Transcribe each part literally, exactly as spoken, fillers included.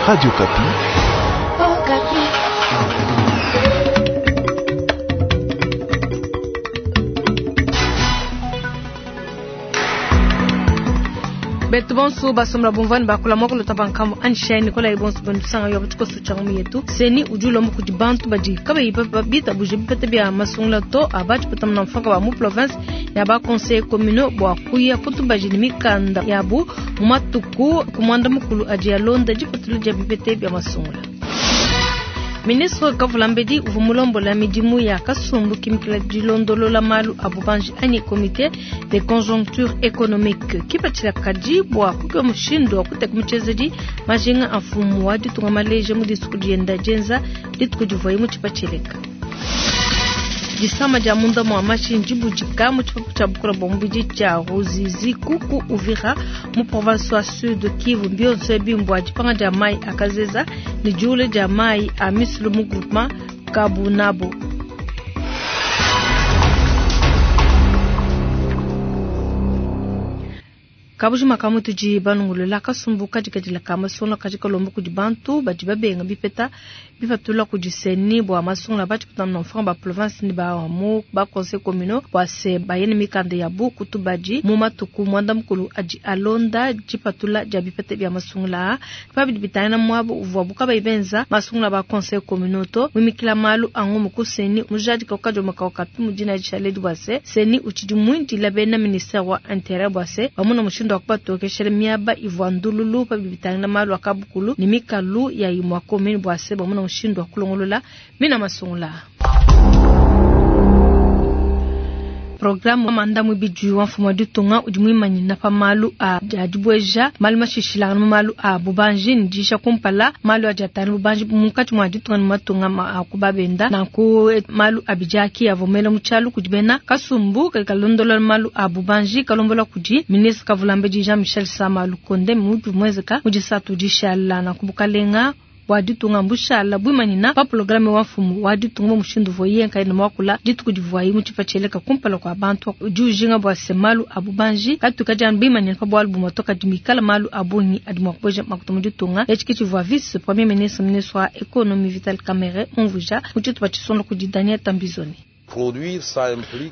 Radio Okapi. Oh, Okapi. Betu bonso basomla bumvani bakula moko lota nkambo anshai nikola ibonso bandusanga yo batiko changu yetu seni ujulo mu kudi bantu badi kabe bita buje bipete bya masungula to abachi patamna mfaka wa mu province ya ba conseil communaux bwa kuya kutubaji ni mikanda yabu mu matuku kumwanda mukulu aji ya londa jipatulu ja bipete bya masungula. Ministre Kavulambedi uvua mulombola midimu ya kasumbu kimikila dilondolola malu a bubanji anyi comité de conjoncture économique kipatshila kadi bua kukeba mushindu wa kuteka mutshiezedi majinga a mfumu wa ditunga maleja mu disuku dienda dienza dituku divuaye mu tshipatsheleka. Disama dia munda mua mashi ndibudika mu tshipapu tshia bukola bua mubidi tshia Ruzizi kuku Uvira mu province wa Sud Kivu. Mbionso ebi mbua dipanga dia mai akazeza ne diule dia mai a misulu mu groupement Kabunabo. Kabujima kamutudi banungulula kasumbu kadikadila ka masungula kadi kalomba kudi bantu badi babenga bipeta bipatula kudi seni bua masungula badi kutamna mfanga ba province ni ba mu ba conseil communaux bua se bayene mikanda yabu kutubadi mu matuku mwanda mukulu adi alonda dipatula dia bipeta bia masungula pabidi bitana mwabu uvua buka benza masungula ba conseil communaux to mimikila malu angu mukuseni mujadi kaukajo makaukapi mudina dishaledi bua se seni utshidi muindila bena ministère wa intérieur bua se bamuna mushindu akubatokeshela miaba ivua ndululu pabidi bitangila malu akabukulu ni mikalu ya imwa commune bua se bamuna mushindu wa kulongolola mina masungula. Programme manda mwibidi wa mfumu wa ditunga udi muimanyina pa malu a dibueja malu mashishilangana mu malu a bubanji ni disha kumpala malu adi atanu bubanji munkatshi mua ditunga ni matunga ma kubabenda nanku malu abijaki avomela mu tshialu kudi bena kasumbu kadi kalondola malu a bubanji kalombola kudi ministre Kavulambedi Jean Michel Sama Lukonde mutu mwezeka mudisatu dishala nanku bukalenga wa ditunga mbushala bwimanina pa programme wa mfumu wa ditunga mushindu voye nkaina mwakula dituku divuayi mu tshipatsheleka kumpala kwa bantu udi ujinga bua se malu a bubanji katuka dia bwimanina pa bualu bumotoka dimikala malu a bungi adi mua kubueja makuta mu ditunga etshi ke tshivua vice premier ministre ministre wa économie Vital Kamerhe umvuja mu tshitupa tshisonda kudi Daniel Tambizoni.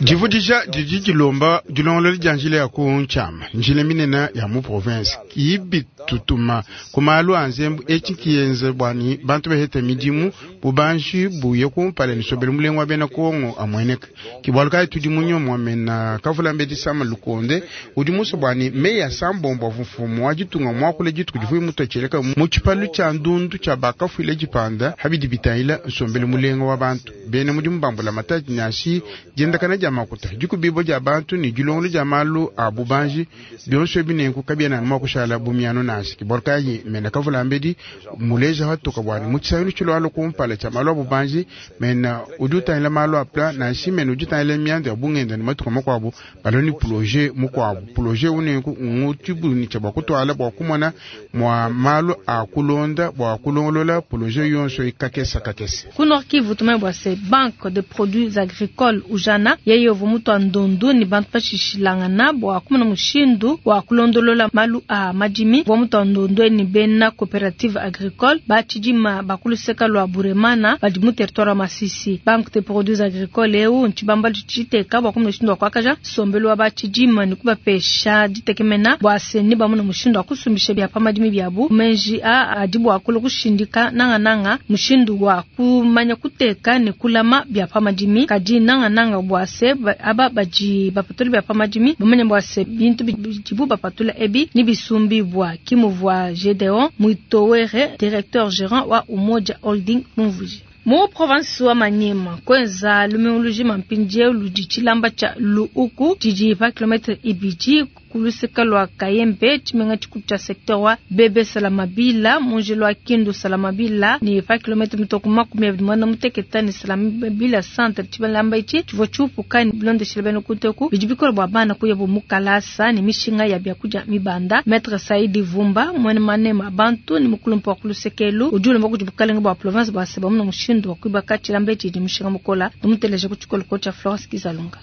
Divudija didi dilomba dilongolola dia njila ya ku ntshiama njila minene ya mu province kiibitutuma ku malu a nzembu etshi kiyenze bwani bantu behete midimu bubanji buye kumpala ni sobele mulengo wa bena Kongo amueneka kibwalu kayi tudi munyomwa mena Kavulambedi Sama Lukonde udi muso bwani meya sambombo mfumu wa ditunga mwakule dituku divuye mutotsheleka mu tshipalu tshia ndundu tshia bakafuile dipanda habidi bitangila nsombele mulengo wa bantu bena mudimu bambula matadi nasi diendakana dia makuta dikubibo dia bantu ni dilongolo dia malu a bubanji bionso ebinenku kabiena mua kushala bumiano nasi kibwalu kayi mena Kavulambedi muleja hatuka bwani mu tshisayilu tshilwalo kumpala tshia malu a bubanji mena udi utangila malu a pla nasi mena udi utangila miandu ya bungenda ni matuka makuabu baloni projet mukuabu projet unenku ngutibuni tshia bua kutwala bua kumona mwa malu a kulonda bua kulongolola projet yonso ikakesa kakese. Ku Nord Kivu tumanye bua se banque de produits agricole ujana yeye uvua mutu wa ndundu ni bantu bashishilangana bua kumona mushindu wa kulondolola malu a madimi bua mutu wa ndundu ni bena coopérative agricole batshidima bakuluseka lua Buremana badi mu territoire wa Masisi. Banque de produits agricoles eu ntshibamba tshiteka bua kumona mushindu wa kuakaja sombelu wa batshidima ni kubapesha ditekemena bua se ni bamona mushindu wa kusumbisha bia pa madimi biabu menji a adi bua kula kushindika nangananga mushindu wa kumanya kuteka ne kulama bia pa madimi kadi nanga nanga bua se aba baji bapatula bia pa madimi bamanya bua se bintu bidibu bapatula ebi ni bisumbi bua kimuvua Gedeon Mwitowere directeur gérant wa Umoja Holding Mumvuji. Mu province wa Maniema kwenza lumiuluji mampindie ludi tshilamba tshia Luuku tshidi pa kilometre ibidi kuluseka lua Kayembe tshimenga tshikulu tshia secteur wa Bebe Salamabila munjelo wa Kindu Salamabila ni pa kilometre mitoko makumi abidi muanda muteketa ni Salamabila centre tshilamba itshi tshivua tshiupuka ni bilondeshela bena kuteku bidi bikola bua bana kuya bu mukalasa ni mishinga ya biakudia mibanda. Maître Saidi Vumba mwene manema bantu ni mukulumpa wa kulusekelu udi ulomba kudi bukalenga bua province bua se bamuna mushindu wa kuibaka tshilamba etshi di mushinga mukola tumuteleje ku tshikoloko tshia Florence Kizalunga.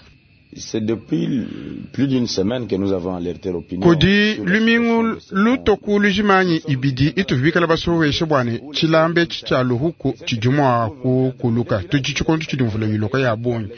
C'est depuis plus d'une semaine que nous avons alerté l'opinion. Kudi lumingu lutoku lujimanyi ibidi ituvibikala basoweshe bwane chilambe chicha luhuku chijumwa kukuluka tuchi chikondu chidimvula yiloka ya bonyi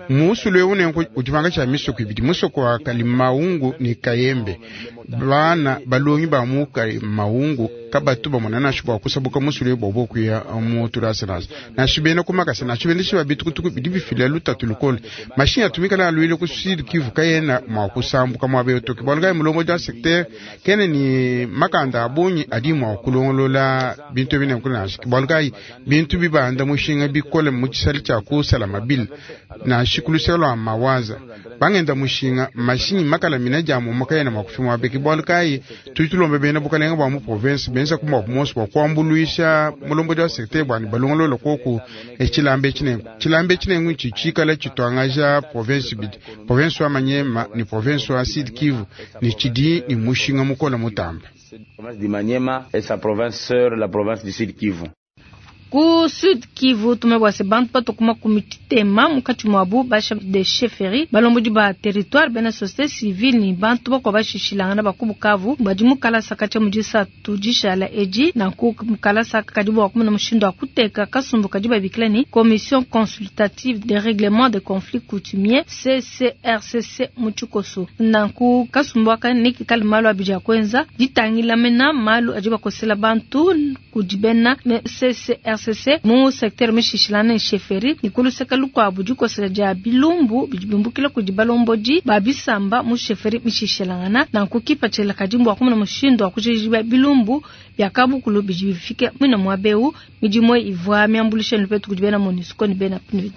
musulu unengo udivanga cha misoko ibidi musoko wa Kalimaungu ni Kayembe bana balongi ba mu Kalimaungu kabatu bamona na shibwa kusabuka musulu bobo kuya mu turasanasa na shibena kumakasa na shibena shiba bitukutuku bidi bifila lutatu lukole mashini atumika na lwile ku Sud Kivu kayena mwa kusambuka mwa beyotoki bwaluga mulongo ja secteur kene ni makanda abonyi adi mwa kulongolola bintu bine kuna bwaluga bintu bibanda mushinga bikole mu chisali cha kusala mabili na shikulu mawaza bangenda mushinga mashinyi makala mina jamu makayena mwa kufimwa beki bwaluga tutulombe bena bukalenga bwa mu province benza kumwa kumosi kwa kuambuluisha mulombo ja secteur bwani balongolola koku echilambe chinengo chilambe chinengo chichikala chitwangaja province bidi province wa Manyema ni province wa Sud Kivu ni chidi ni mushinga mukola mutamba province du Manyema et sa province sœur la province du Sud Kivu. Ku Sud Kivu tumebwase bantu patokuma kumitema mukati mwabu basha de chefferie balombodi ba territoire bena société civile ni bantu bakwa bashishilangana bakubukavu badi mukalasa kacha mujisa tujishala eji na ku mukalasa kadibu wa kumuna mushindo wa kuteka kasumbu kadiba biklani commission consultative de règlement de conflits coutumiers C C R C C muchukoso na ku kasumbu aka niki kali malu abija kwenza ditangila mena malu ajiba kosela bantu kujibena C C R C C mu secteur mishishilana chefferie nikulu seka lukwa bujuko seja bilumbu bijumbukila kujibalomboji babisamba mu chefferie mishishilana na kukipa chela kajimbo akumuna mushindo akujiba bilumbu byakabukulu bijifike mwina mwabeu mijimo ivwa miambulisha lupetu kujibena MONUSCO ni bena P N U D.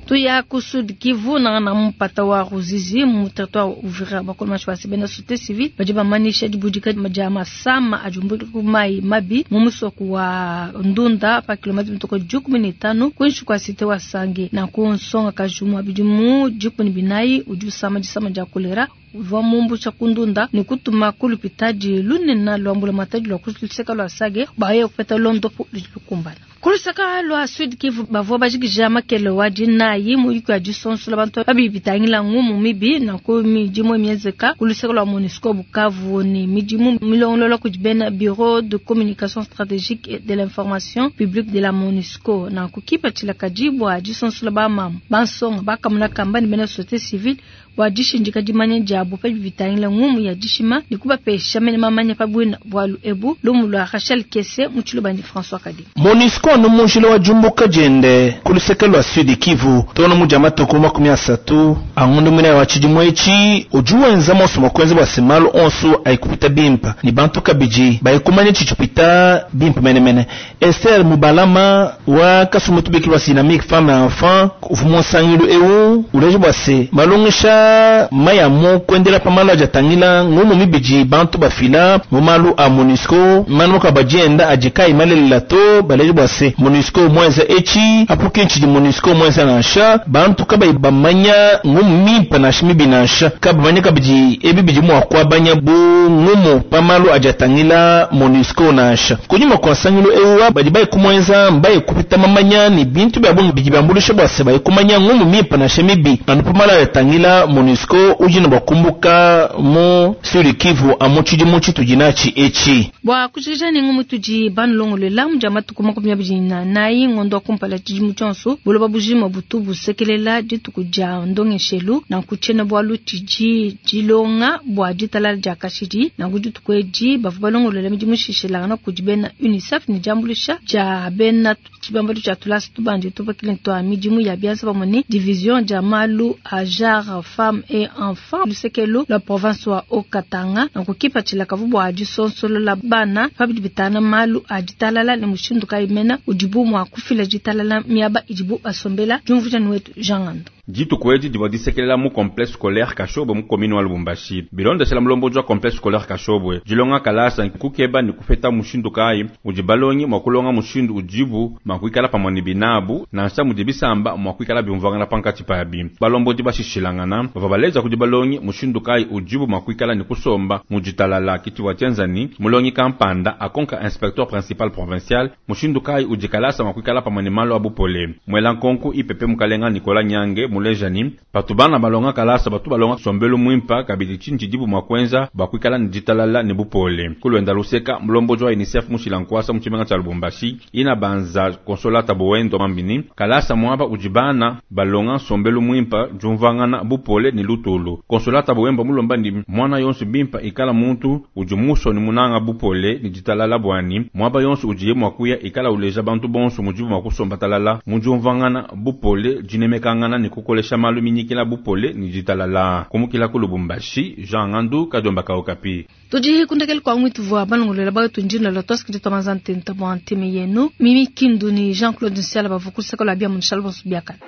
Tuya ku Sud Kivu na na mpata wa Ruzizi mu territoire Uvira bakolo mashwasi bena société civile baje bamanisha dibudika majama sama ajumbuka kumai mabi mu musoko wa Ndunda pa kilomita mtoko jukumi ni tano kwenshi kwa site wa Sange na kunsonga kajumwa bidimu jukumi binayi uju sama jisama ja kolera va mumbu cha kundunda ni kutuma kulupitaji lunena lwambula mataji lwa kuluseka lwa Sage baye kupeta londo lukumbana kuluseka lwa Sud Kivu bavua bajikija makele wa dinayi muyiko ya disonsola bantu babibitangila ngumu mibi na ku midimu miezeka kuluseka lwa MONUSCO Bukavu ni midimu milongolola kujibena bureau de communication stratégique et de l'information publique de la MONUSCO na kukipa chilakajibwa disonsola ba mamu bansonga bakamuna kamba ni bena société civile bwa dishindika dimanya diabo pa bibitangila ngumu ya dishima nikubapesha mene mamanya pa bwina bwalu ebu lumu lwa Rachel Kese muchilubandi François Kadi. MONUSCO no munjila wa jumbuka jende kuluseka lwa Sud Kivu tono mujama toko makumi asatu angundu mwina wa chidimwechi ujuwenza moso mokwenzi bwa simalo onsu aikupita bimpa ni bantu kabiji baikumanya chichupita bimpa menemene. Esther Mubalama wa kasumutubiki lwa dynamique femme et enfant ufumonsangilu eu uleje bwa se malongesha mayamu kwendela pamalo ajatangila ngumu mibiji bantu bafila mumalu a MONUSCO manu kabajenda ajikai malelela to baleje bwa se MONUSCO mwenza echi apuke nchi di MONUSCO mwenza nansha bantu kaba bamanya ngumu mimpa na shimibi nansha kabamanya kabiji ebibiji mwa kwabanya bu ngumu pamalo ajatangila MONUSCO nansha kunyuma kwa sangilo ewa bajibai kumwenza mbaye kupita mamanya ni bintu bya bungi biji bambulisha bwa se baye kumanya ngumu mimpa na shimibi anu pamalo ajatangila MONUSCO ujina bakumbuka mu Sud Kivu amuchiji muchi tujinachi echi bwa kuchija ni ngumu tuji banulongolela mujama tukuma kumya bijina nayi ngondo kumpala chijimu chonso buloba bujima butu busekelela ditukuja ndongeshelu na kuchena bwa lutiji jilonga bwa jitala ja kashidi na kujutukweji bavu balongolela mijimu shishela na kujibena UNICEF ni jambulisha ja bena chibambalo cha tulasi tubanje tupakile twa mijimu ya biansa pamoni division ja malu ajar femme et enfant lusekelo la province wa Okatanga na kukipa chilakavu bwa jisonsolo la bana pabidibitana malu ajitalala ni mushindu kaimena ujibu mwa kufila jitalala miaba ijibu asombela jumvuja wetu Jean Ngando. Dituku edi divua disekelela mu complexe scolaire Kashobwe mu commune wa Lubumbashi. Bilondeshela mulombodi wa complexe scolaire Kashobwe, dilonga kalasa kukeba ne kupeta mushindu kayi udi balongi mua kulonga mushindu udibu mua kuikala pamue ne binabu nansha mudi bisamba mua kuikala biumvuangana pankatshi pabi. Balombodi bashishilangana bavua baleja kudi balongi mushindu kayi udibu mua kuikala ne kusomba mu ditalala kitshivua tshienza ni mulongi kampanda akonka inspecteur principal provincial mushindu kayi udi kalasa mua kuikala pamue ne malu a bupole. Mwela nkonku I P P mukalenga Nicolas Nyange muleja ni patu bana balonga kalasa batu balonga sombelu mwimpa kabidi tshinyi tshidibu mua kuenza bua kuikala ne ditalala ne bupole. Kulwenda luseka mulombodi wa UNICEF mushila nkuasa mu tshimenga tshia Lubumbashi ina banza Consolata Boendo mambini kalasa muaba udi bana balonga nsombelu mwimpa diumvuangana bupole ne lutulu. Consolata Boendo mulomba ndi mwana yonso bimpa ikala muntu udi muso ne munanga bupole ne ditalala bwani muaba yonso udiye mua kuya ikala uleja bantu bonso mudibu mua kusomba talala mu diumvuangana bupole dinemekangana ne kukolesha malu minyikila bupole ne ditalala. Kumukila ku Lubumbashi, Jean Ngandu Kadiomba ka Okapi. Tudi kundekele kwa mwitu vwa balongolela bayo tunjina la toski de tomazante ntabwa nteme yenu Mimi Kindu ni Jean-Claude Nsiala bavukusa kola bia munshalbo biakana.